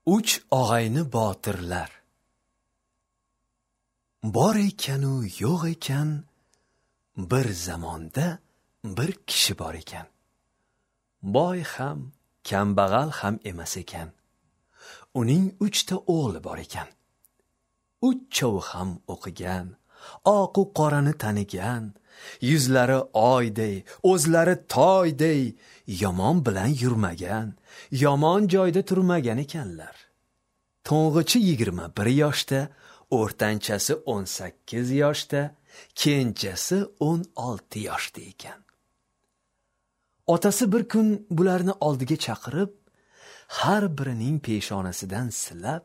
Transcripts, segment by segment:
Uch og'ayni botirlar. Bor ekanu yo'q ekan, bir zamonda bir kishi bor ekan. Boy ham, kambag'al ham emas ekan. Uning 3 ta o'g'li bor ekan. Uchovi ham o'qigan, oq-u qorani tanigan, yuzlari oyday, o'zlari toyday, yomon bilan yurmagan, yomon joyda turmagan ekanlar. To'ng'ichi 21 yoshda, o'rtanchasi 18 yoshda, kenjasi 16 yoshda ekan. Otasi bir kun bularni oldiga chaqirib, har birining peshonasidan silab,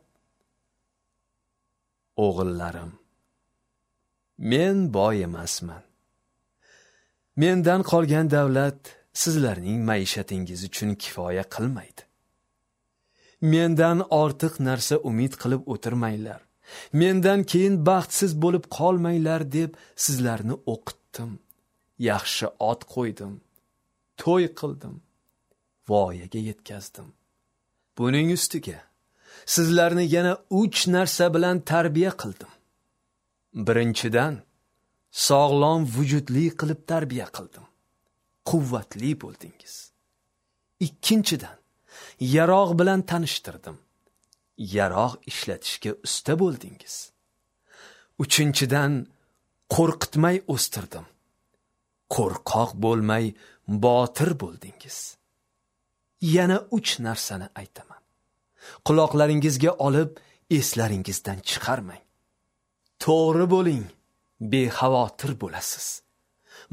"O'g'illarim, men boy emasman. Mendan qolgan davlat sizlarning maishatingiz uchun kifoya qilmaydi. Mendan ortiq narsa umid qilib o'tirmanglar. Mendan keyin baxtsiz bo'lib qolmanglar deb sizlarni o'qitdim. Yaxshi ot qo'ydim, to'y qildim, voyaga yetkazdim. Buning ustiga sizlarni yana 3 narsa bilan tarbiya qildim. Birinchidan, sog'lom vujudli qilib tarbiya qildim. Quvvatli bo'ldingiz. Ikkinchidan, yarog' bilan tanishtirdim. Yarog' ishlatishga usta bo'ldingiz. Uchinchidan, qo'rqitmay o'stirdim. Qo'rqoq bo'lmay botir bo'ldingiz. Yana 3 narsani aytaman. Quloqlaringizga olib, eslaringizdan chiqarmang. To'g'ri bo'ling, bexavotir bo'lasiz.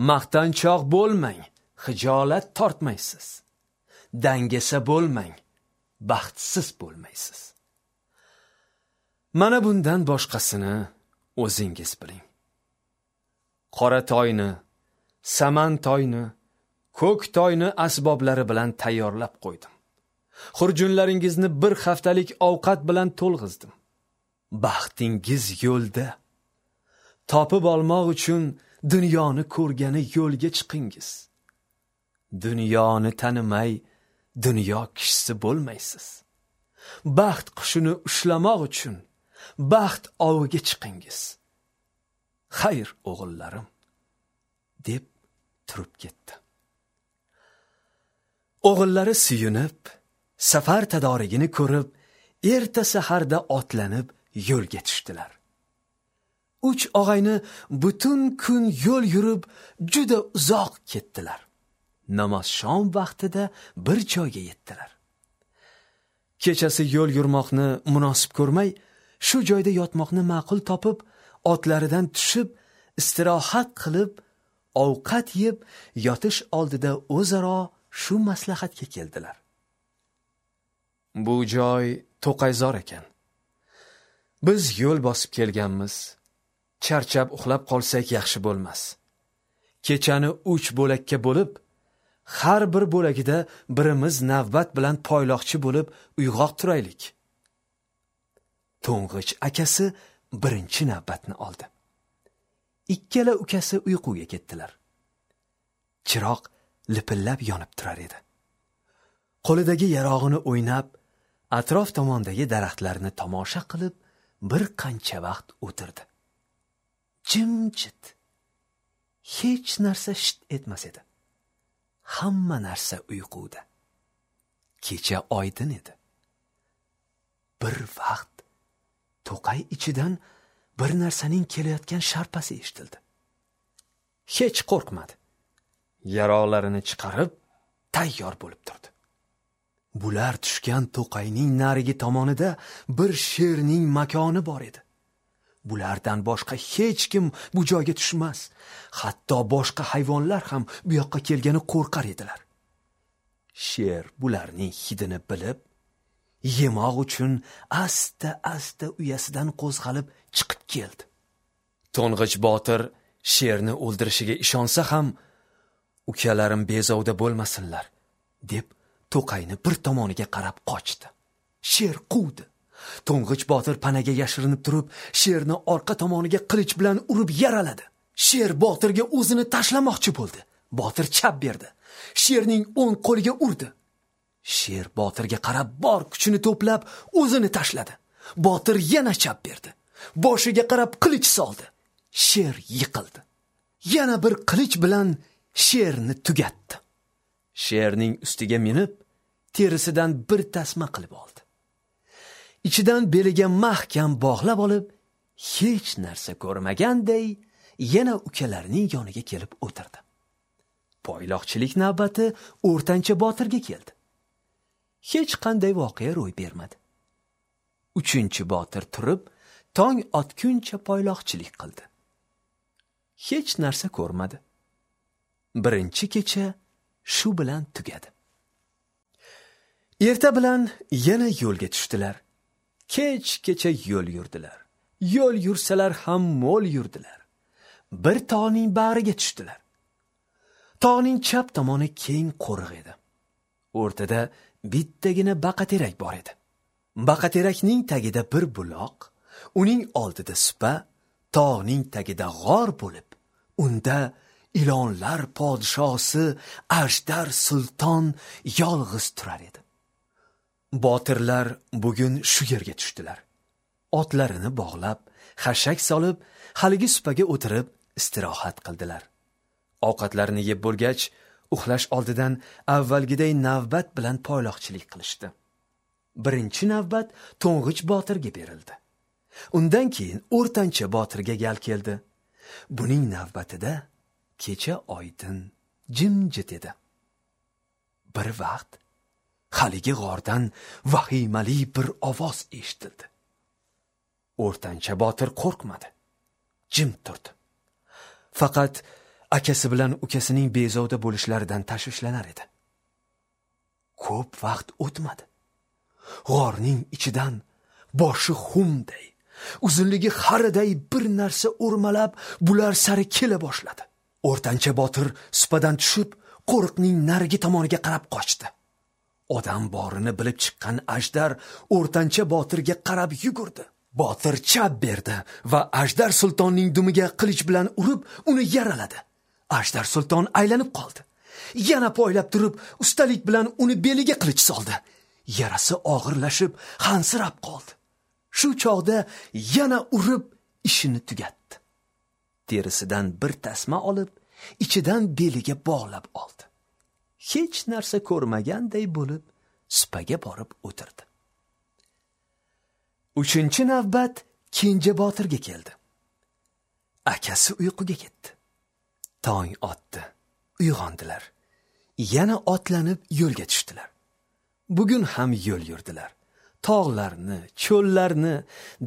Maqtanchoq bo'lmang, xijolat tortmaysiz. Dangasa bo'lmang, baxtsiz bo'lmaysiz. Mana bundan boshqasini o'zingiz biling. Qora toyni, saman toyni, ko'k toyni asboblari bilan tayyorlab qo'ydim. Xurjunlaringizni bir haftalik ovqat bilan to'lg'izdim. Baxtingiz yo'lda. Topib olmoq uchun dunyoni ko'rgani yo'lga chiqingiz. Dunyoni tanimay dunyo kishisi bo'lmaysiz. Baxt qushini ushlamoq uchun baxt oviga chiqingiz. Xayr, o'g'illarim, deb turib ketdi. O'g'illari suyunib, safar tadorigini ko'rib, erta saharda otlanib yo'lga tushdilar. 3 og'ayni butun kun yo'l yurib, juda uzoq ketdilar. Namozshom vaqtida bir joyga yetdilar. Kechasi yo'l yurmoqni munosib ko'rmay, shu joyda yotmoqni ma'qul topib, otlaridan tushib, istirohat qilib, ovqat yeb, yotish oldida o'zaro shu maslahatga keldilar. Bu joy to'qayzor ekan. Biz yo'l bosib kelganmiz. Charchab uxlab qolsak yaxshi bo'lmas. Kechani 3 bo'lakka bo'lib, har bir bo'lagida birimiz navbat bilan poyloqchi bo'lib uyg'oq turaylik. To'ng'ich akasi birinchi navbatni oldi. Ikkala ukasi uyquga ketdilar. Chiroq lipillab yonib turar edi. Qo'lidagi yarog'ini o'ynab, atrof tomondagi daraxtlarni tomosha qilib, bir qancha vaqt o'tirdi. Jimjit. Hech narsa shit etmas edi. Hamma narsa uyquda. Kecha oydin edi. Bir vaqt to'qay ichidan bir narsaning kelayotgan sharpasi eshitildi. Hech qo'rqmadi. Yaroqlarini chiqarib, tayyor bo'lib turdi. Bular tushgan to'qayning narigi tomonida bir sherning makoni bor edi. Bulardan boshqa hech kim bu joyga tushmas. Hatto boshqa hayvonlar ham bu yoqqa kelgani qo'rqar edilar. Sher bularning hidini bilib, yemoq uchun asta-asta uyasidan qo'zg'alib chiqib keldi. To'ng'ich botir sherni o'ldirishiga ishonsa ham, ukalarim bezovda bo'lmasinlar, deb to'qayni bir tomoniga qarab qochdi. Sher quvdi. To'ng'ich botir panaga yashirinib turib, sherni orqa tomoniga qilich bilan urib yaraladi. Sher botirga o'zini tashlamoqchi bo'ldi. Botir chap berdi. Sherning o'ng qo'liga urdi. Sher botirga qarab bor kuchini to'plab o'zini tashladi. Botir yana chap berdi. Boshiga qarab qilich soldi. Sher yiqildi. Yana bir qilich bilan sherni tugatdi. Sherning ustiga minib, terisidan bir tasma qilib oldi. Ichidan beliga mahkam bog'lab olib, hech narsa ko'rmaganday yana ukalarining yoniga kelib o'tirdi. Poyloqchilik navbati o'rtancha botirga keldi. Hech qanday voqea ro'y bermadi. Uchinchi botir turib, tong otguncha poyloqchilik qildi. Hech narsa ko'rmadi. Birinchi kecha shu bilan tugadi. Erta bilan yana yo'lga tushdilar. Kech-kecha yo'l yurdilar. Yo'l yursalar ham mo'l yurdilar. Bir tog'ning bag'riga tushdilar. Tog'ning chap tomoni keng qo'riq edi. O'rtada bittagina baqaterak bor edi. Baqaterakning tagida bir buloq, uning oldida supa, tog'ning tagida g'or bo'lib, unda ilonlar podshosi Ajdar Sulton yolg'iz turar edi. Botirlar bugun shu yerga tushdilar. Otlarini bog'lab, xashak solib, haligi supaga o'tirib istirohat qildilar. Ovqatlarini yeb bo'lgach, uxlash oldidan avvalgiday navbat bilan poyloqchilik qilishdi. Birinchi navbat to'ng'ich botirga berildi. Undan keyin o'rtancha botirga gal keldi. Buning navbatida kecha oydin, jimjit edi. Bir vaqt haligi g'ordan vahimali bir ovoz eshitildi. O'rtancha botir qo'rqmadi. Jim turdi. Faqat akasi bilan ukasining bezovta bo'lishlaridan tashvishlanar edi. Ko'p vaqt o'tmadi. G'orning ichidan boshi xumday, uzunligi xariday bir narsa o'rmalab bular sari kela boshladi. O'rtancha botir supadan tushib, qo'riqning narigi tomoniga qarab qochdi. Odam borini bilib chiqqan Ajdar o'rtancha botirga qarab yugurdi. Botir chap berdi va Ajdar Sultonning dumiga qilich bilan urib, uni yaraladi. Ajdar Sulton aylanib qoldi. Yana poylab turib, ustalik bilan uni beliga qilich soldi. Yarasi og'irlashib, hansirab qoldi. Shu chog'da yana urib ishini tugatdi. Terisidan bir tasma olib, ichidan beliga bog'lab oldi. Hech narsa ko'rmaganday bo'lib, supaga borib o'tirdi. Uchinchi navbat kenja botirga keldi. Akasi uyquga ketdi. Tong otdi. Uyg'ondilar. Yana otlanib yo'lga tushdilar. Bugun ham yo'l yurdilar. Tog'larni, cho'llarni,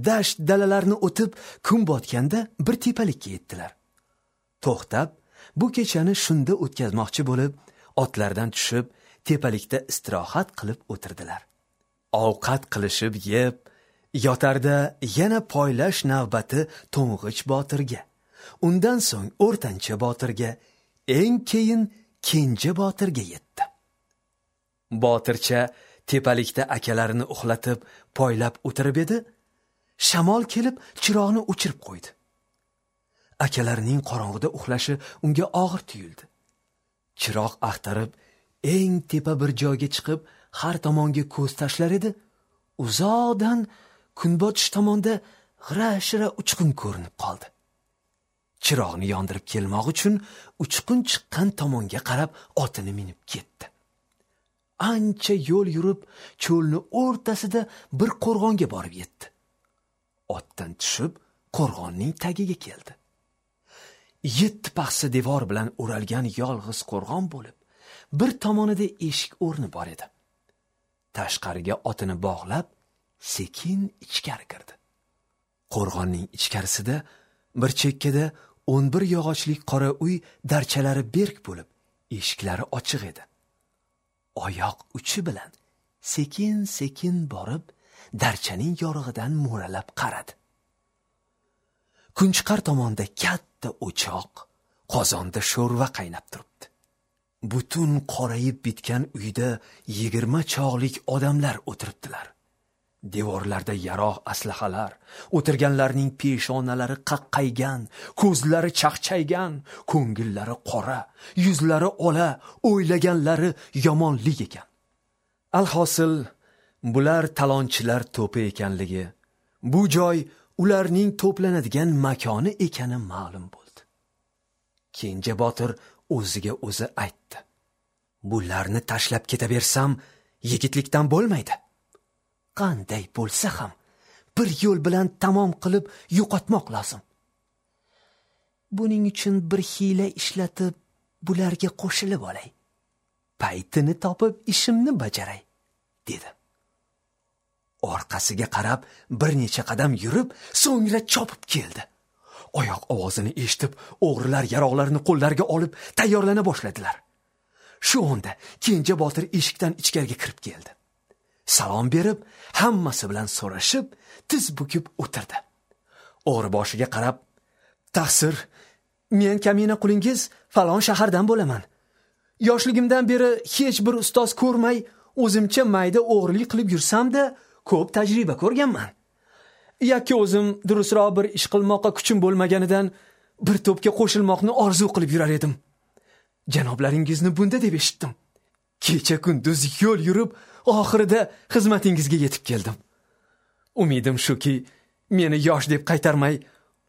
dasht dalalarni o'tib, kun botganda bir tepalikka yetdilar. To'xtab, bu kechani shunda o'tkazmoqchi bo'lib, otlardan tushib, tepalikda istirohat qilib o'tirdilar. Ovqat qilishib yeb, yotarda yana poylash navbati to'ng'ich botirga, undan so'ng o'rtancha botirga, eng keyin kenja botirga yetdi. Botircha tepalikda akalarini uxlatib, poylab o'tirib edi, shamol kelib chiroqni o'chirib qo'ydi. Akalarining qorong'ida uxlashi unga og'ir tuyuldi. Chiroq axtarib, eng tepa bir joyga chiqib, har tomonga ko'z tashlar edi. Uzoqdan kunbotish tomonda g'ira-shira uchqun ko'rinib qoldi. Chiroqni yondirib kelmoq uchun uchqun chiqqan tomonga qarab otini minib ketdi. Ancha yo'l yurib, cho'lni o'rtasida bir qo'rg'onga borib yetdi. Otdan tushib, qo'rg'onning tagiga keldi. 7 paxsa devor bilan o'ralgan yolg'iz qo'rg'on bo'lib, bir tomonida eshik o'rni bor edi. Tashqariga otini bog'lab, sekin ichkari kirdi. Qo'rg'onning ichkarisida bir chekkada 11 yog'ochlik qora uy darchalari berk bo'lib, eshiklari ochiq edi. Oyoq uchi bilan sekin-sekin borib, darchaning yorug'idan mo'ralab qaradi. Kunchiqar tomonda katta o'choq, qozonda sho'rva qaynab turibdi. Butun qorayib bitgan uyda 20 chog'lik odamlar o'tiribdilar. Devorlarda yarog' aslahalar, o'tirganlarning peshonalari qaqqaygan, ko'zlari chaqchaygan, ko'ngillari qora, yuzlari ola, o'ylaganlari yomonlik ekan. Alhosil, bular talonchilar to'pi ekanligi, bu joy ularning to'planadigan makoni ekani ma'lum bo'ldi. Kenja botir o'ziga o'zi aytdi: "Bularni tashlab ketaversam, yigitlikdan bo'lmaydi. Qanday bo'lsa ham bir yo'l bilan tamom qilib yo'qotmoq lozim. Buning uchun bir hiyla ishlatib, bularga qo'shilib olay. Paytini topib ishimni bajaray", dedi. Orqasiga qarab bir necha qadam yurib, so'ngra chopib keldi. Oyoq ovozini eshitib, o'g'rilar yaroqlarini qo'llariga olib tayyorlana boshladilar. Shu onda Kenja botir eshikdan ichkariga kirib keldi. Salom berib, hammasi bilan so'rashib, tiz bukib o'tirdi. O'g'ri boshiga qarab: "Taqsir, men kamina qulingiz falon shahardan bo'laman. Yoshligimdan beri hech bir ustoz ko'rmay, o'zimcha mayda o'g'rilik qilib yursam-da, ko'p tajriba ko'rganman. Yakka o'zim durustroq bir ish qilmoqqa kuchim bo'lmaganidan bir to'pga qo'shilmoqni orzu qilib yurar edim. Janoblaringizni bunda deb eshitdim. Kecha kunduz yo'l yurib, oxirida xizmatingizga yetib keldim. Umidim shuki, meni yosh deb qaytarmay,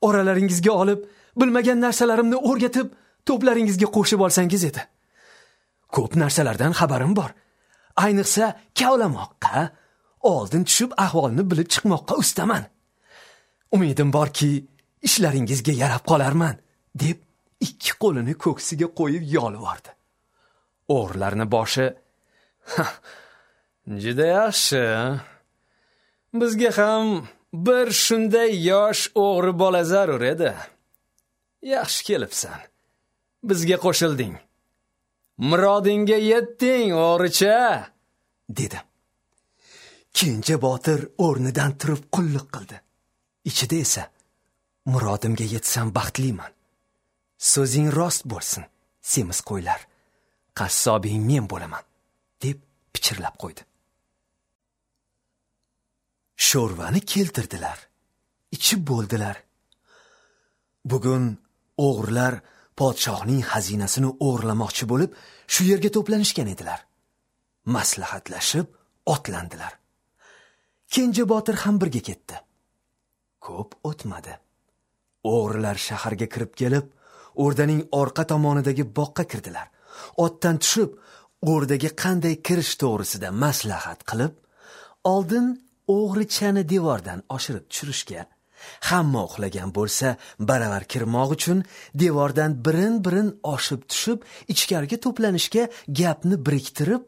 oralaringizga olib, bilmagan narsalarimni o'rgatib, to'plaringizga qo'shib olsangiz edi. Ko'p narsalardan xabarim bor. Ayniqsa kavlamoqqa, oldin tushib ahvolni bilib chiqmoqqa ustaman. Umidim borki, ishlaringizga yarab qolarman", deb ikki qo'lini ko'ksiga qo'yib yolvordi. O'g'rilarni boshi: "Juda yaxshi. Bizga ham bir shunday yosh o'g'ri bola zarur edi. Yaxshi kelibsan. Bizga qo'shilding. Murodingga yetding, o'g'richa", dedi. Kenja botir o'rnidan turib qulluq qildi. Ichida esa: "Murodimga yetsam baxtliman. So'zing rost bo'lsin, semiz qo'ylar. Qassobing men bo'laman", deb pichirlab qo'ydi. Sho'rvani keltirdilar. Ichib bo'ldilar. Bugun o'g'rilar podshohning xazinasini o'g'irlamoqchi bo'lib, shu yerga to'planishgan edilar. Maslahatlashib otlandilar. Kenja botir ham birga ketdi. Ko'p o'tmadi. O'g'rilar shaharga kirib kelib, o'rdaning orqa tomonidagi boqqa kirdilar. Otdan tushib, o'rdaga qanday kirish to'g'risida maslahat qilib, oldin o'g'richani devordan oshirib tushirishga, hamma uxlagan bo'lsa, baravar kirmoq uchun devordan birin-birin oshib tushib, ichkariga to'planishga gapni biriktirib,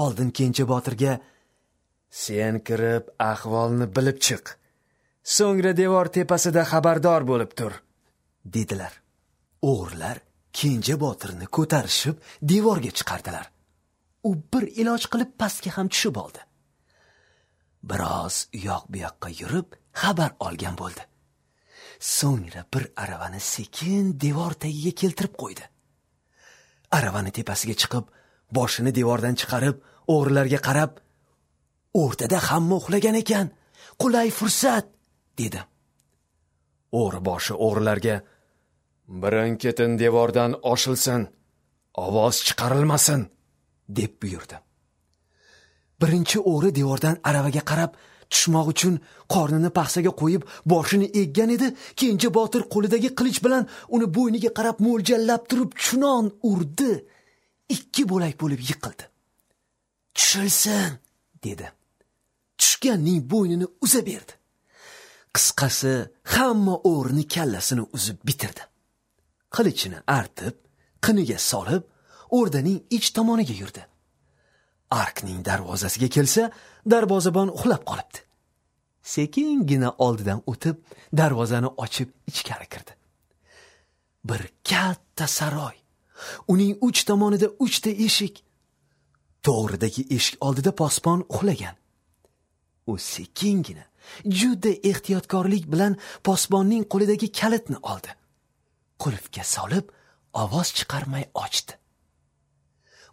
oldin Kenja botirga: "Sen kirib ahvolni bilib chiq. So'ngra devor tepasida xabardor bo'lib tur", dedilar. O'g'rilar Kenja botirni ko'tarishib devorga chiqardilar. U bir iloj qilib pastga ham tushib oldi. Biroz uyoq bu yoqqa yurib xabar olgan bo'ldi. So'ngra bir aravani sekin devor tagiga keltirib qo'ydi. Aravani tepasiga chiqib, boshini devordan chiqarib, o'g'rilarga qarab: "O'rtada hamma uxlagan ekan, qulay fursat", dedi. O'g'ri boshi o'g'rilarga: "Birin-ketin devordan oshilsin, ovoz chiqarilmasin", deb buyurdi. Birinchi o'g'ri devordan aravaga qarab tushmoq uchun qornini paxsaga qo'yib boshini eggan edi. Kenja botir qo'lidagi qilich bilan uni bo'yniga qarab mo'ljallab turib chunon urdi. Ikki bo'lak bo'lib yiqildi. "Tushilsin", dedi. Tushganning bo'ynini uza berdi. Qisqasi, hamma o'g'rini kallasini uzib bitirdi. Qilichini artib, qiniga solib, o'rdaning ich tomoniga yurdi. Arkning darvozasiga kelsa, darvozabon uxlab qolibdi. Sekingina oldidan o'tib, darvozani ochib ichkari kirdi. Bir katta saroy. Uning uch tomonida uchta eshik. To'g'ridagi eshik oldida posbon uxlagan. U sekingina, juda ehtiyotkorlik bilan posbonning qo'lidagi kalitni oldi. Qulfga solib, ovoz chiqarmay ochdi.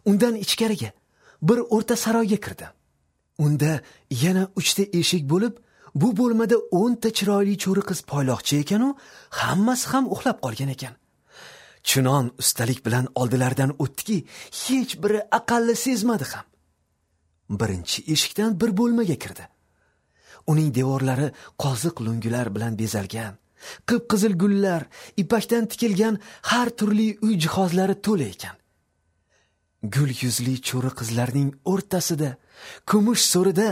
Undan ichkariga bir o'rta saroyga kirdi. Unda yana uchta eshik bo'lib, bu bo'lmada 10 ta chiroyli cho'ri qiz poyloqchi ekan-u, hammasi ham uxlab qolgan ekan. Chunon ustalik bilan oldilaridan o'tdiki, hech biri aqalli sezmadi ham. Birinchi eshikdan bir bo'lmaga kirdi. Uning devorlari qoziq lungular bilan bezalgan, qip-qizil gullar, ipakdan tikilgan har turli uy jihozlari to'la ekan. Gul yuzli cho'ri qizlarning o'rtasida, kumush so'rida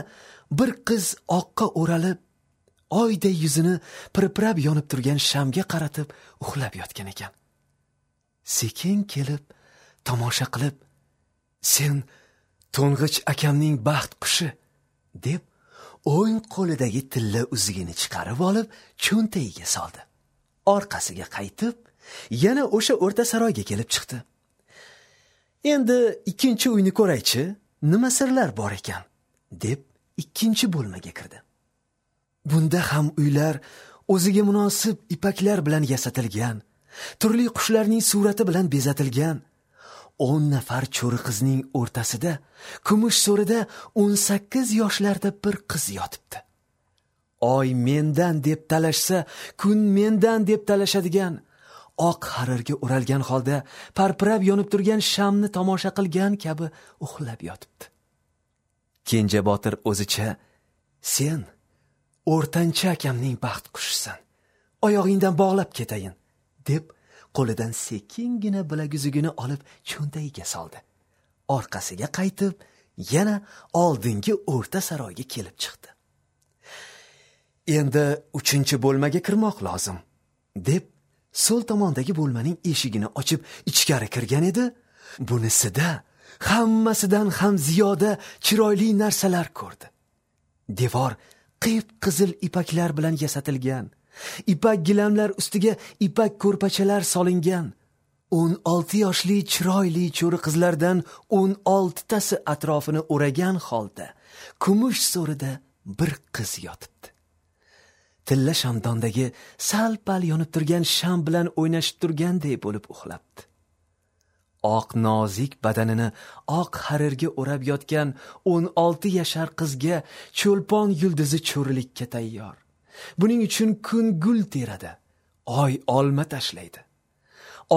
bir qiz oqqa o'ralib, oyday yuzini pirpirab yonib turgan shamga qaratib uxlab yotgan ekan. Sekin kelib, tomosha qilib, "Sen to'ng'ich akamning baxt qushi" deb o'ng qo'lidagi tilla uzugini chiqarib olib, cho'ntagiga soldi. Orqasiga qaytib, yana o'sha o'rta saroyga kelib chiqdi. Endi ikkinchi uyni ko'raychi, nima sirlar bor ekan, deb ikkinchi bo'lmaga kirdi. Bunda ham uylar o'ziga munosib ipaklar bilan yasatilgan, turli qushlarning surati bilan bezatilgan. 10 nafar cho'ri qizning o'rtasida, kumush so'rida 18 yoshlarda bir qiz yotibdi. Oy mendan deb talashsa, kun mendan deb talashadigan, oq harirga o'ralgan holda parpirab yonib turgan shamni tomosha qilgan kabi uxlab yotibdi. Kenja botir o'zicha, "Sen o'rtancha akamning baxt qushisan, oyog'ingdan bog'lab ketayin" deb qo'lidan sekingina bilaguzugini olib cho'ntagiga soldi. Orqasiga qaytib, yana oldingi o'rta saroyga kelib chiqdi. Endi uchinchi bo'lmaga kirmoq lozim, deb so'l tomondagi bo'lmaning eshigini ochib ichkari kirgan edi. Bunisida hammasidan ham ziyoda chiroyli narsalar ko'rdi. Devor qip-qizil ipaklar bilan yasatilgan. Ipak gilamlar ustiga ipak ko'rpachalar solingan. 16 yoshli chiroyli cho'ri qizlardan 16 tasi atrofini o'ragan holda kumush so'rida bir qiz yotibdi. Tilla shamdondagi sal-pal yonib turgan sham bilan o'ynashib turganday bo'lib uxlabdi. Oq nozik badanini oq harirga o'rab yotgan 16 yashar qizga cho'lpon yulduzi cho'rilikka tayyor. Buning uchun kun gul teradi, oy olma tashlaydi.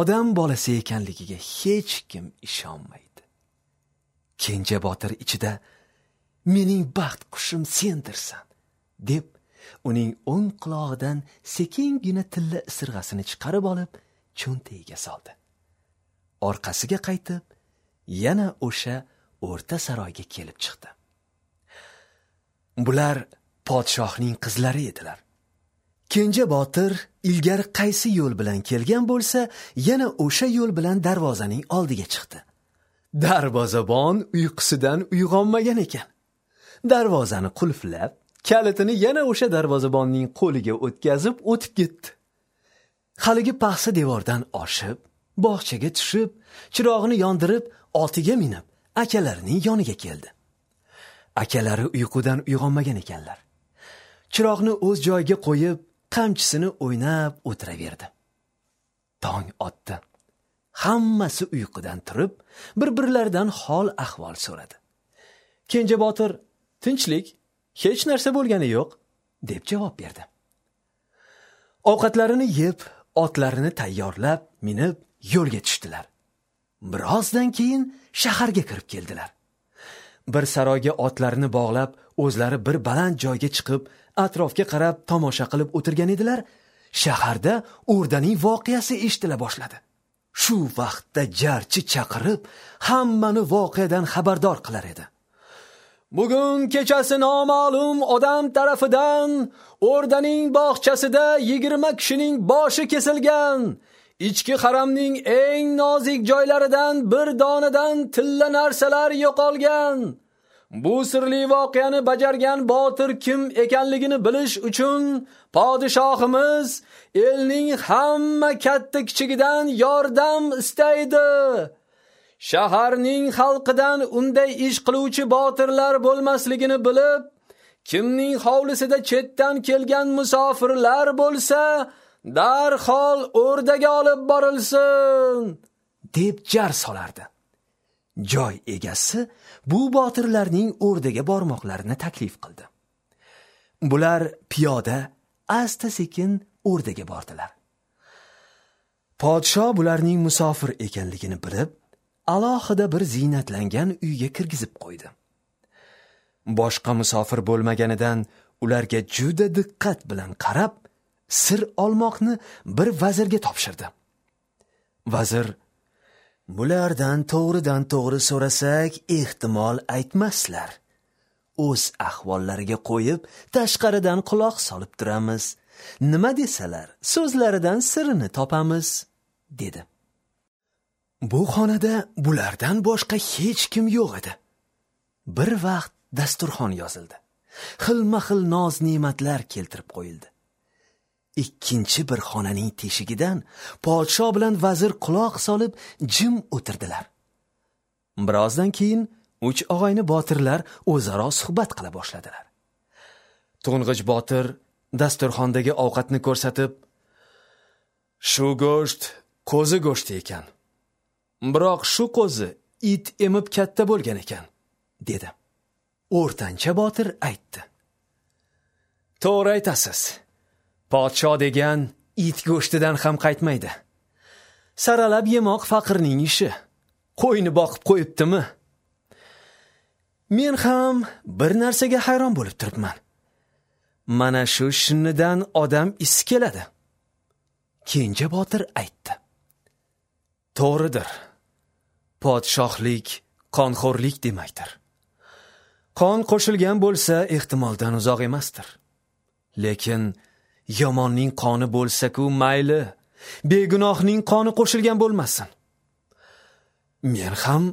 Odam bolasi ekanligiga hech kim ishonmaydi. Kenja botir ichida "Mening baxt qushim sendirsan" deb uning o'ng qulog'idan sekingina tilla isirg'asini chiqarib olib cho'ntagiga soldi. Orqasiga qaytib, yana o'sha o'rta saroyga kelib chiqdi. Bular podshohning qizlari edilar. Kenja botir ilgari qaysi yo'l bilan kelgan bo'lsa, yana o'sha yo'l bilan darvozaning oldiga chiqdi. Darvozabon uyqusidan uyg'onmagan ekan. Darvozani qulflab, kalitini yana o'sha darvozabonning qo'liga o'tkazib o'tib ketdi. Haligi paxsa devordan oshib, bog'chaga tushib, chirog'ini yondirib, otiga minib, akalarining yoniga keldi. Akalari uyqudan uyg'onmagan ekanlar. Chiroqni o'z joyiga qo'yib, qamchisini o'ynab o'tiraverdi. Tong otdi. Hammasi uyqudan turib, bir-birlaridan hol ahvol so'radi. Kenja botir, "Tinchlik, hech narsa bo'lgani yo'q", deb javob berdi. Ovqatlarini yeb, otlarini tayyorlab, minib yo'lga tushdilar. Birozdan keyin shaharga kirib keldilar. Bir saroyga otlarini bog'lab, o'zlari bir baland joyga chiqib, atrofga qarab tomosha qilib o'tirgan edilar. Shaharda o'rdaning voqeasi eshitila boshladi. Shu vaqtda jarchi chaqirib, hammani voqeadan xabardor qilar edi. Bugun kechasi noma'lum odam tarafidan o'rdaning bog'chasida 20 kishining boshi kesilgan. Ichki haramning eng nozik joylaridan bir donadan tilla narsalar yo'qolgan. Bu sirli voqeani bajargan botir kim ekanligini bilish uchun podshohimiz elning hamma katta kichigidan yordam istaydi. Shaharning xalqidan unday ish qiluvchi botirlar bo'lmasligini bilib, kimning hovlisida chetdan kelgan musofirlar bo'lsa, darhol o'rdaga olib borilsin, deb jar solardi. Joy egasi bu botirlarning o'rdaga bormoqlarini taklif qildi. Bular piyoda asta-sekin o'rdaga bordilar. Podsho bularning musofir ekanligini bilib, alohida bir ziynatlangan uyga kirgizib qo'ydi. Boshqa musofir bo'lmaganidan ularga juda diqqat bilan qarab, sir olmoqni bir vazirga topshirdi. Vazir: "Bulardan to'g'ridan to'g'ri so'rasak, ehtimol aytmaslar. O'z ahvollariga qo'yib, tashqaridan quloq solib turamiz. Nima desalar, so'zlaridan sirini topamiz", dedi. Bu xonada bulardan boshqa hech kim yo'q edi. Bir vaqt dasturxon yozildi. Xilma-xil noz-ne'matlar keltirib qo'yildi. Ikkinchi bir xonaning teshigidan podsho bilan vazir quloq solib jim o'tirdilar. Birozdan keyin uch og'ayni botirlar o'zaro suhbat qila boshladilar. To'ng'ich botir dasturxondagi ovqatni ko'rsatib, "Shu go'sht qo'zi go'shti ekan. Biroq shu qo'zi it emib katta bo'lgan ekan", dedi. O'rtancha botir aytdi: "To'g'ri aytasiz. Podsho degan it go'shtidan ham qaytmaydi. Saralab yemoq faqirning ishi. Qo'yni boqib qo'yibdimi? Men ham bir narsaga hayron bo'lib turibman. Mana shu shinnidan odam isi keladi." Kenja botir aytdi: "To'g'ridir. Podshohlik qonxo'rlik demakdir. Qon qo'shilgan bo'lsa, ehtimoldan uzoq emasdir. Lekin yomonning qoni bo'lsa-ku mayli, begunohning qoni qo'shilgan bo'lmasin. Men ham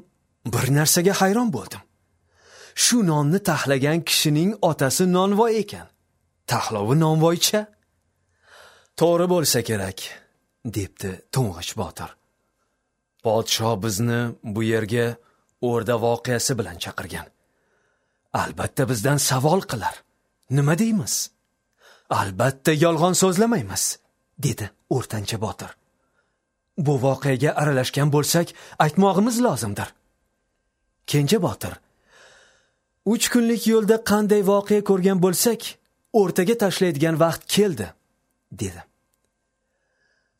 bir narsaga hayron bo'ldim. Shu nonni taxlagan kishining otasi nonvoy ekan. Taxlovi nonvoycha. To'g'ri bo'lsa kerak", debdi to'ng'ich botir. "Podsho bizni bu yerga o'rda voqeasi bilan chaqirgan. Albatta bizdan savol qilar. Nima deymiz? Albatta yolg'on so'zlamaymiz", dedi o'rtancha botir. "Bu voqeaga aralashgan bo'lsak, aytmog'imiz lozimdir." Kenja botir: "3 kunlik yo'lda qanday voqea ko'rgan bo'lsak, o'rtaga tashlaydigan vaqt keldi", dedi.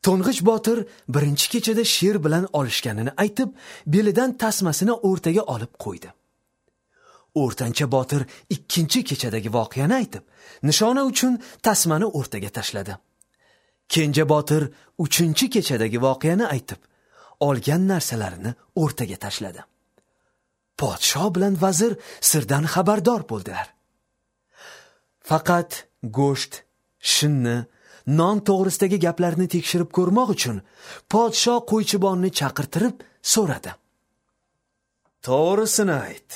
To'ng'ich botir birinchi kechada sher bilan olishganini aytib, belidan tasmasini o'rtaga olib qo'ydi. O'rtancha botir ikkinchi kechadagi voqeani aytib, nishona uchun tasmani o'rtaga tashladi. Kenja botir uchinchi kechadagi voqeani aytib, olgan narsalarini o'rtaga tashladi. Podsho bilan vazir sirdan xabardor bo'ldilar. Faqat go'sht, shinni, non to'g'risidagi gaplarni tekshirib ko'rmoq uchun podsho qo'ychibonni chaqirtirib so'radi: "To'g'risini ayt.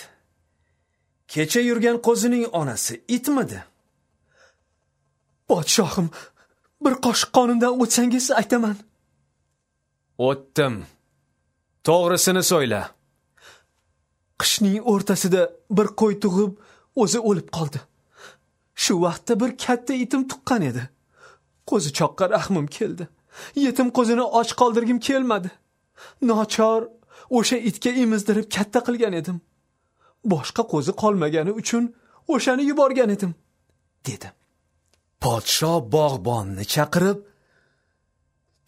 Kecha yurgan qo'zining onasi itmidi?" "Podshohim, bir qoshiq qonimdan o'tsangiz aytaman." "O'tdim. To'g'risini so'yla." "Qishning o'rtasida bir qo'y tug'ib, o'zi o'lib qoldi. Shu vaqtda bir katta itim tuqqan edi. Qo'zichoqqa rahmim keldi. Yetim qo'zini och qoldirgim kelmadi. Nochor o'sha itga emizdirib katta qilgan edim. Boshqa qo'zi qolmagani uchun o'shani yuborgan edim", dedi. Podsho bog'bonni chaqirib,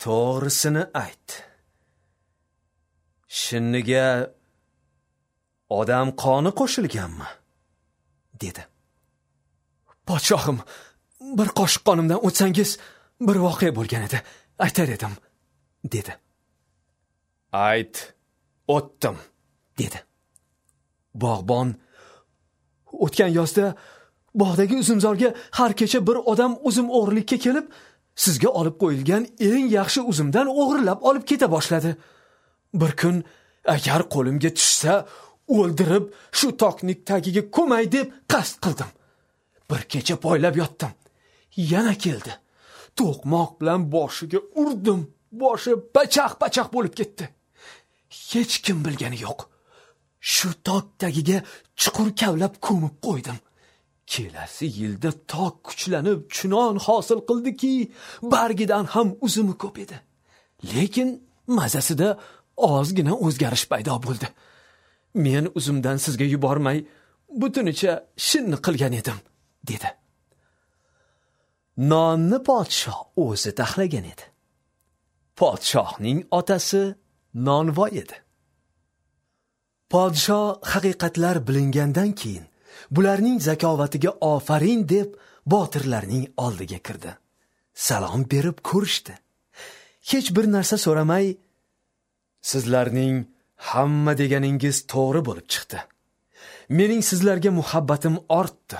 "To'g'risini ayt. Shinniga odam qoni qo'shilganmi?" dedi. "Podshohim, bir qoshiq qonimdan o'tsangiz, bir voqea bo'lgan edi, aytar edim", dedi. "Ayt, o'tdim", dedi. Bog'bon: "O'tgan yozda bog'dagi uzumzorga har kecha bir odam uzum o'g'rilikka kelib, sizga olib qo'yilgan eng yaxshi uzumdan o'g'irlab olib keta boshladi. Bir kun agar qo'limga tushsa, o'ldirib shu tokning tagiga ko'may deb qasd qildim. Bir kecha poylab yotdim. Yana keldi. To'qmoq bilan boshiga urdim. Boshi pachaq-pachaq bo'lib ketdi. Hech kim bilgani yo'q. Shu tok tagiga chuqur kavlab ko'mib qo'ydim. Kelasi yilda tok kuchlanib chunon hosil qildiki, bargidan ham uzumi ko'p edi. Lekin mazasida ozgina o'zgarish paydo bo'ldi. Men uzumdan sizga yubormay, butunicha shinni qilgan edim", dedi. Nonni podsho o'zi taxlagan edi. Podshohning otasi nonvoy edi. Podsho haqiqatlar bilingandan keyin Bularning zakovatiga ofarin deb botirlarning oldiga kirdi. Salom berib ko'rishdi. Hech bir narsa so'ramay, sizlarning hamma deganingiz to'g'ri bo'lib chiqdi. Mening sizlarga muhabbatim ortdi.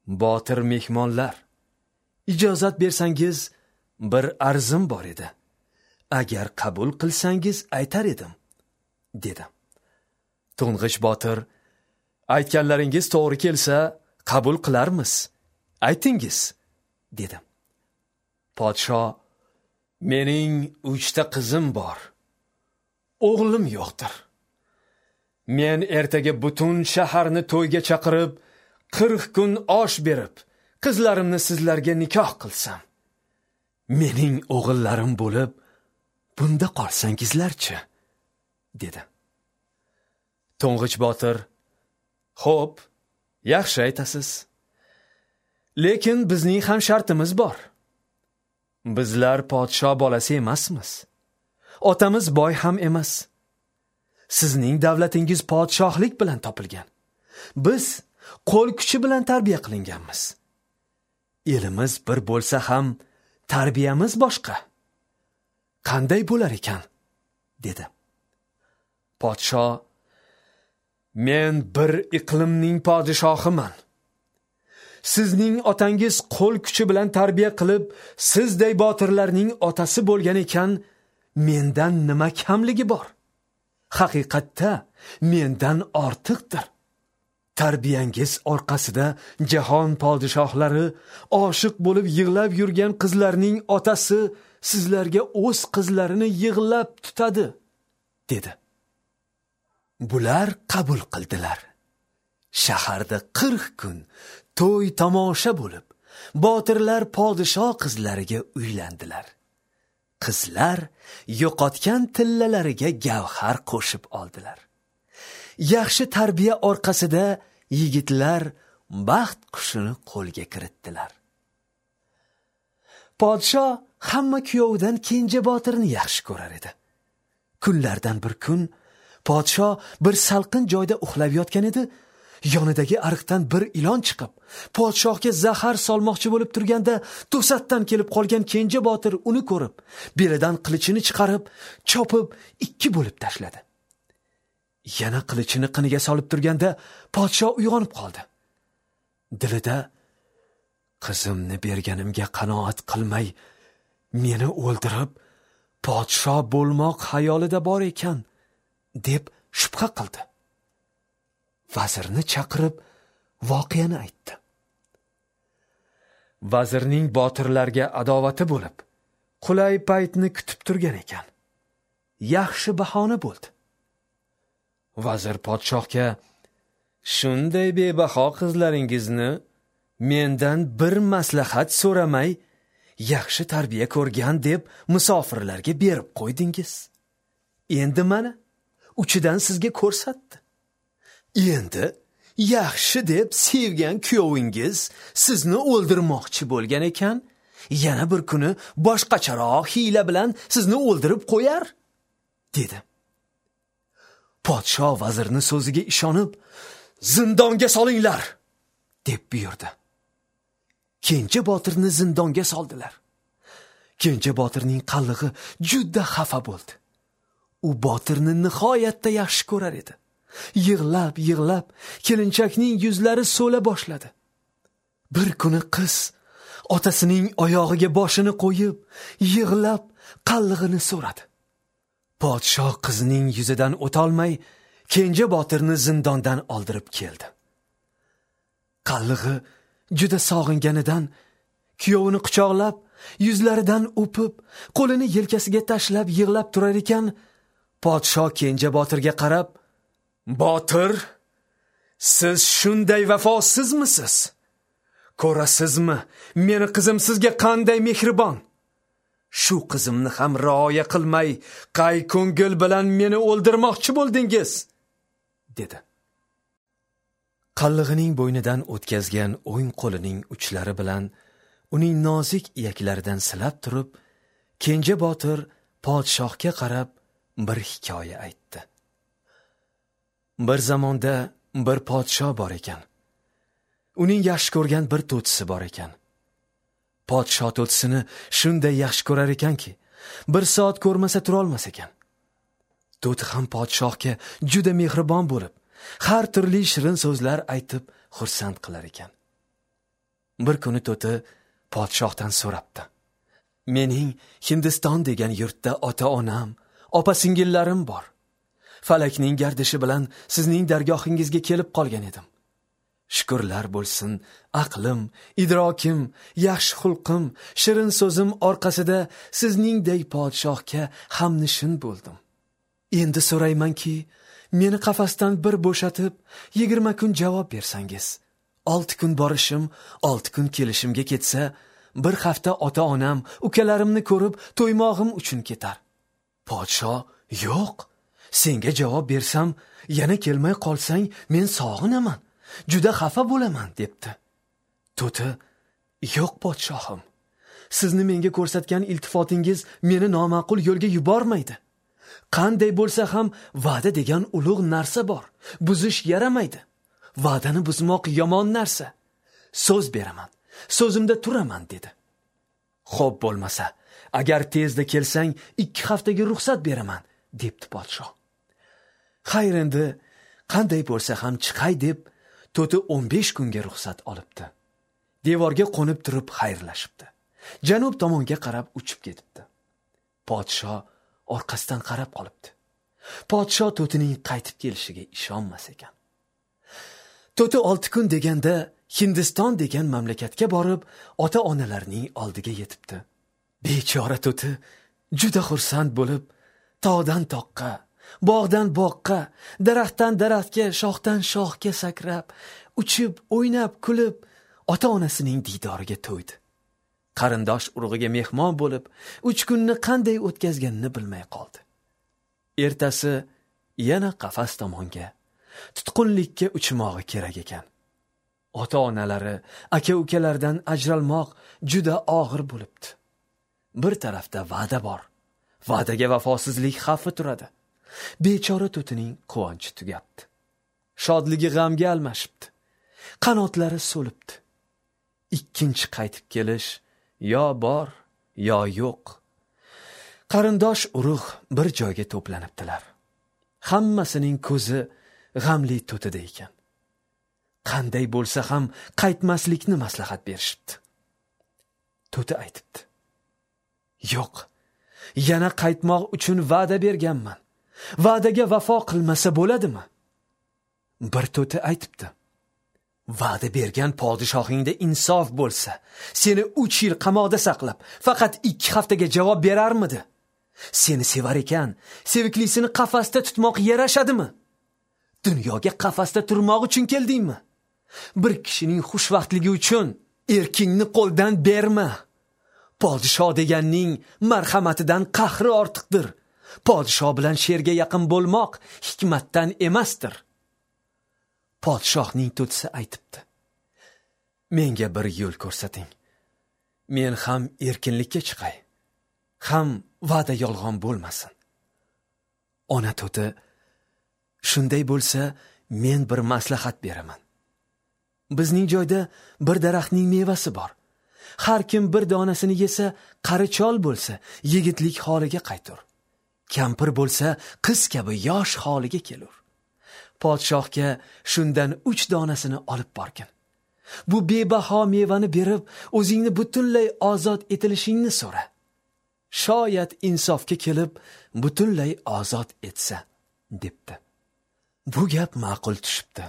Botir mehmonlar, ijozat bersangiz bir arzim bor edi. Agar qabul qilsangiz aytar edim, dedi. To'ng'ich botir, aytganlaringiz to'g'ri kelsa qabul qilarmiz. Aytingiz, dedi. Podsho, mening 3 ta qizim bor. O'g'lim yo'qdir. Men ertaga butun shaharni to'yga chaqirib, 40 kun osh berib, qizlarimni sizlarga nikoh qilsam, mening o'g'illarim bo'lib, bunda qolsangizlarchi, dedi. To'ng'ich botir, xo'p, yaxshi aytasiz. Lekin bizning ham shartimiz bor. Bizlar podsho bolasi emasmiz. Otamiz boy ham emas. Sizning davlatingiz podshohlik bilan topilgan. Biz qo'l kuchi bilan tarbiya qilinganmiz. Elimiz bir bo'lsa ham tarbiyamiz boshqa. Qanday bo'lar ekan? Dedi. Podsho, men bir iqlimning podshohiman. Sizning otangiz qo'l kuchi bilan tarbiya qilib, sizday botirlarning otasi bo'lgan ekan, mendan nima kamligi bor? Haqiqatda mendan ortiqdir. Tarbiyangiz orqasida jahon podshohlari oshiq bo'lib yig'lab yurgan qizlarning otasi sizlarga o'z qizlarini yig'lab tutadi, dedi. Bular qabul qildilar. Shaharda 40 kun to'y tomosha bo'lib, botirlar podsho qizlariga uylandilar. Qizlar yo'qotgan tillalariga gavhar qo'shib oldilar. Yaxshi tarbiya orqasida yigitlar baxt qushini qo'lga kiritdilar. Podsho hamma kuyovidan Kenja botirni yaxshi ko'rar edi. Kunlardan bir kun podsho bir salqin joyda uxlab yotgan edi. Yonidagi ariqdan bir ilon chiqib, podshohga zahar solmoqchi bo'lib turganda to'satdan kelib qolgan Kenja botir uni ko'rib, belidan qilichini chiqarib, chopib 2 bo'lib tashladi. Yana qilichini qiniga solib turganda podsho uyg'onib qoldi. Dilida qizimni berganimga qanoat qilmay, meni o'ldirib, podsho bo'lmoq xayolida bor ekan, deb shubha qildi. Vazirni chaqirib voqeani aytdi. Vazirning botirlarga adovati bo'lib, qulay paytni kutib turgan ekan. Yaxshi bahona bo'ldi. Vazir podshohga, shunday bebaho qizlaringizni mendan bir maslahat so'ramay, yaxshi tarbiya ko'rgan deb musofirlarga berib qo'ydingiz. Endi mana uchidan sizga ko'rsatdi. Endi yaxshi deb sevgan kuyovingiz sizni o'ldirmoqchi bo'lgan ekan, yana bir kuni boshqacharoq hiyla bilan sizni o'ldirib qo'yar, dedi. Podsho vazirni so'ziga ishonib, zindonga solinglar, deb buyurdi. Kenja botirni zindonga soldilar. Kenja botirning qallig'i juda xafa bo'ldi. U botirni nihoyatda yaxshi ko'rar edi. Yig'lab yig'lab kelinchakning yuzlari so'la boshladi. Bir kuni qiz otasining oyog'iga boshini qo'yib, yig'lab qallig'ini so'radi. Podsho qizning yuzidan o'tolmay, Kenja botirni zindondan oldirib keldi. Qallig'i juda sog'inganidan kuyovini quchoqlab, yuzlaridan o'pib, qo'lini yelkasiga tashlab yig'lab turar ekan, podsho Kenja botirga qarab, "Botir, siz shunday vafosizmisiz? Ko'rasizmi, meni qizim sizga qanday mehribon? Shu qizimni ham rioya qilmay, qay ko'ngil bilan meni o'ldirmoqchi bo'ldingiz?" dedi. Qallig'ining bo'ynidan o'tkazgan o'ng qo'lining uchlari bilan uning nozik iyaklaridan silab turib, Kenja botir podshohga qarab bir hikoya aytdi. Bir zamonda Bir podsho bor ekan. Uning yaxshi ko'rgan bir to'tisi bor ekan. Podsho to'tisini shunday yaxshi ko'rar ekanki, bir soat ko'rmasa turolmas ekan. To'ti ham podshohga juda mehribon bo'lib, har turli shirin so'zlar aytib xursand qilar ekan. Bir kuni to'ti podshohdan so'rabdi: "Mening Hindiston degan yurtda ota-onam, opa-singillarim bor. Falakning gardishi bilan sizning dargohingizga kelib qolgan edim. Shukrlar bo'lsin, aqlim, idrokim, yaxshi xulqim, shirin so'zim orqasida sizningday podshohga hamnishin bo'ldim. Endi so'raymanki, meni qafasdan bir bo'shatib, 20 kun javob bersangiz, 6 kun borishim, 6 kun kelishimga ketsa, bir hafta ota-onam, ukalarimni ko'rib to'ymog'im uchun ketar." Podsho: "Yo'q, senga javob bersam, yana kelmay qolsang, men sog'inaman, juda xafa bo'laman", debdi. To'ti: "Yo'q podshohim, sizni menga ko'rsatgan iltifotingiz meni noma'qul yo'lga yubormaydi. Qanday bo'lsa ham va'da degan ulug' narsa bor, buzish yaramaydi. Va'dani buzmoq yomon narsa. So'z beraman, so'zimda turaman", dedi. "Xo'p bo'lmasa, agar tezda kelsang, 2 haftaga ruxsat beraman", debdi podsho. Xayr, endi qanday bo'lsa ham chiqay deb to'ti 15 kunga ruxsat olibdi. Devorga qo'nib turib xayrlashibdi. Janub tomonga qarab uchib ketibdi. Podsho orqasidan qarab qolibdi. Podsho to'tining qaytib kelishiga ishonmas ekan. To'ti 6 kun deganda Hindiston degan mamlakatga borib, ota-onalarining oldiga yetibdi. Bechora to'ti juda xursand bo'lib, tog'dan toqqa, bog'dan boqqa, daraxtdan daraxtga, shoxdan shoxga sakrab, uchib, o'ynab, kulib, ota-onasining diydoriga to'ydi. Qarindosh urug'iga mehmon bo'lib, 3 kunni qanday o'tkazganini bilmay qoldi. Ertasi yana qafas tomonga, tutqunlikka uchmog'i kerak ekan. Ota-onalari, aka-ukalardan ajralmoq juda og'ir bo'libdi. Bir tarafda va'da bor. Va'daga vafosizlik xavfi turadi. Bechora to'tining quvonchi tugabdi. Shodligi g'amga almashibdi. Qanotlari so'libdi. Ikkinchi qaytib kelish yo bor, yo yo'q. Qarindosh urug' bir joyga to'planibdilar. Hammasining ko'zi g'amli to'tida ekan. Qanday bo'lsa ham qaytmaslikni maslahat berishibdi. To'ti aytibdi: "Yo'q, yana qaytmoq uchun va'da berganman. Va'daga vafo qilmasa bo'ladimi?" Bir to'ti aytibdi: "Va'da bergan podshohingda insof bo'lsa, seni 3 yil qamoqda saqlab, faqat 2 haftaga javob berarmidi? Seni sevar ekan, seviklisini qafasda tutmoq yarashadimi? Dunyoga qafasda turmoq uchun keldingmi? Bir kishining xushvaqtligi uchun erkingni qo'ldan berma. Podsho deganning marhamatidan qahri ortiqdir. Podsho bilan sherga yaqin bo'lmoq hikmatdan emasdir." Podshohning to'tisi aytibdi: "Menga bir yo'l ko'rsating. Men ham erkinlikka chiqay, ham va'da yolg'on bo'lmasin." Ona to'ti: "Shunday bo'lsa, men bir maslahat beraman. Bizning joyda bir daraxtning mevasi bor. Har kim bir donasini yesa, qari chol bo'lsa, yigitlik holiga qaytur. Kampir bo'lsa, qiz kabi yosh holiga kelur. Podshohga shundan 3 donasini olib borgin. Bu bebaho mevani berib, o'zingni butunlay ozod etilishingni so'ra. Shoyat insofga kelib, butunlay ozod etsa", debdi. Bu gap ma'qul tushibdi.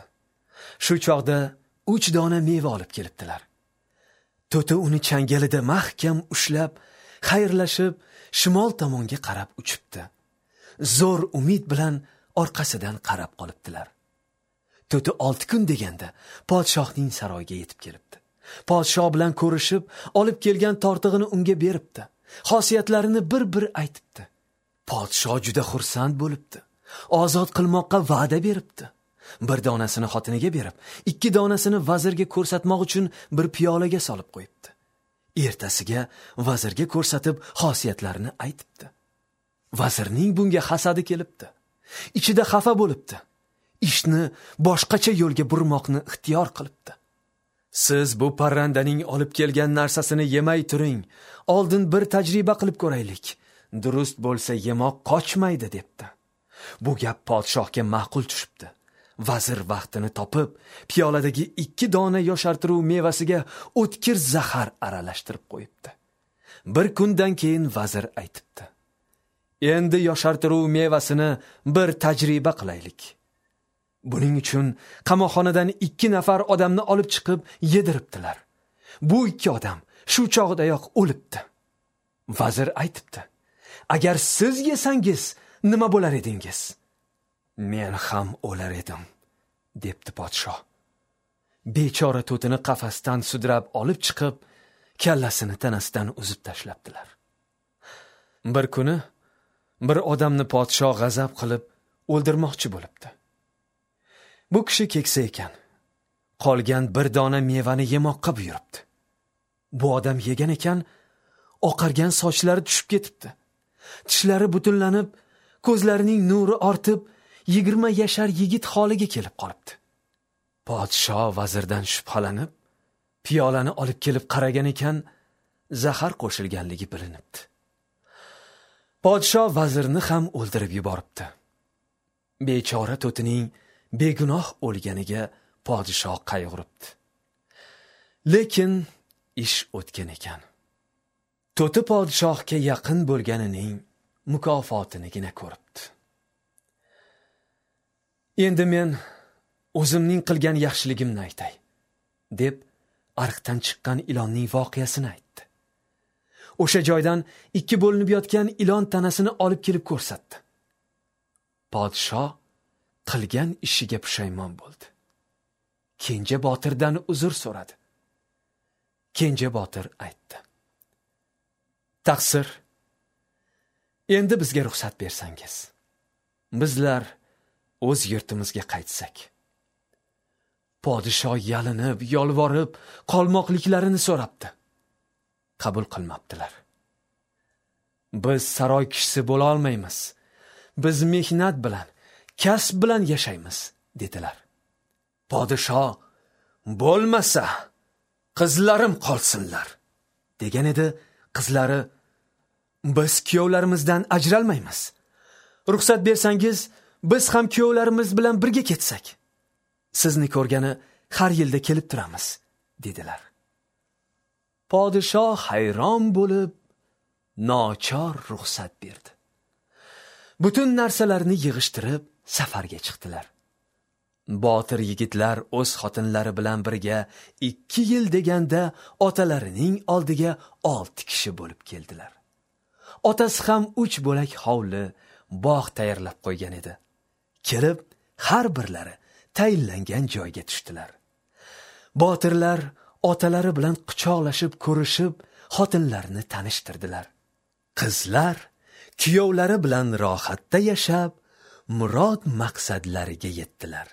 Shu chog'da 3 dona meva olib kelibdilar. To'ti uni changalida mahkam ushlab, xayrlashib, shimol tomonga qarab uchibdi. Zo'r umid bilan orqasidan qarab qolibdilar. To'ti 6 kun deganda podshohning saroyiga yetib kelibdi. Podshoh bilan ko'rishib, olib kelgan tortig'ini unga beribdi. Xosiyatlarini bir-bir aytibdi. Podshoh juda xursand bo'libdi. Ozod qilmoqqa va'da beribdi. Bir donasini xotiniga berib, 2 donasini vazirga ko'rsatmoq uchun bir piyolaga solib qo'yibdi. Ertasiga vazirga ko'rsatib xosiyatlarini aytibdi. Vazirning bunga hasadi kelibdi. Ichida xafa bo'libdi. Ishni boshqacha yo'lga burmoqni ixtiyor qilibdi. Siz bu parrandaning olib kelgan narsasini yemay turing. Oldin bir tajriba qilib ko'raylik. Durust bo'lsa yemoq qochmaydi, debdi. Bu gap podshohga ma'qul tushibdi. Vazir vaqtini topib, piyoladagi 2 dona yoshartiruv mevasiga o'tkir zahar aralashtirib qo'yibdi. Bir kundan keyin vazir aytibdi: "Endi yoshartiruv mevasini bir tajriba qilaylik." Buning uchun qamoqxonadan 2 nafar odamni olib chiqib yediribdilar. Bu 2 odam shu chog'dayoq o'libdi. Vazir aytibdi: "Agar siz yesangiz nima bo'lar edingiz?" "Men ham o'lar edim", debdi podshoh. Bechora to'tini qafasdan sudrab olib chiqib, kallasini tanasidan uzib tashlabdilar. Bir kuni bir odamni podshoh g'azab qilib o'ldirmoqchi bo'libdi. Bu kishi keksa ekan. Qolgan bir dona mevani yemoqqa buyuribdi. Bu odam yegan ekan, oqargan sochlari tushib ketibdi. Tishlari butunlanib, ko'zlarining nuri ortib, 20 yashar yigit holiga kelib qolibdi. Podshoh vazirdan shubhalanib, piyolani olib kelib qaragan ekan, zahar qo'shilganligi bilinibdi. Podshoh vazirni ham o'ldirib yuboribdi. Bechora to'tining begunoh o'lganiga podshoh qayg'uribdi. Lekin ish o'tgan ekan. To'ti podshohga yaqin bo'lganining mukofotinigina ko'ribdi. Endi men o'zimning qilgan yaxshiligimni aytay, deb ariqdan chiqqan ilonning voqeasini aytdi. O'sha joydan 2 bo'linib yotgan ilon tanasini olib kelib ko'rsatdi. Podshoh qilgan ishiga pushaymon bo'ldi. Kenja botirdan uzr so'radi. Kenja botir aytdi: "Taqsir, endi bizga ruxsat bersangiz, bizlar o'z yurtimizga qaytsak." Podshoh yalinib, yolvorib, qolmoqliklarini so'rabdi. Qabul qilmabdilar. Biz saroy kishisi bo'la olmaymiz. Biz mehnat bilan, kasb bilan yashaymiz, dedilar. Podshoh bo'lmasa qizlarim qolsinlar, degan edi. Qizlari: "Biz kuyovlarimizdan ajralmaymiz. Ruxsat bersangiz, biz ham kuyovlarimiz bilan birga ketsak. Sizni ko'rgani har yilda kelib turamiz", dedilar. Podshoh hayron bo'lib, nochor ruxsat berdi. Butun narsalarni yig'ishtirib safarga chiqdilar. Botir yigitlar o'z xotinlari bilan birga 2 yil deganda otalarining oldiga 6 kishi bo'lib keldilar. Otasi ham 3 bo'lak hovli, bog' tayyorlab qo'ygan edi. Kelib har birlari tayinlangan joyga tushdilar. Botirlar otalari bilan quchoqlashib ko'rishib, xotinlarini tanishtirdilar. Qizlar kuyovlari bilan rohatda yashab, murod maqsadlariga yetdilar.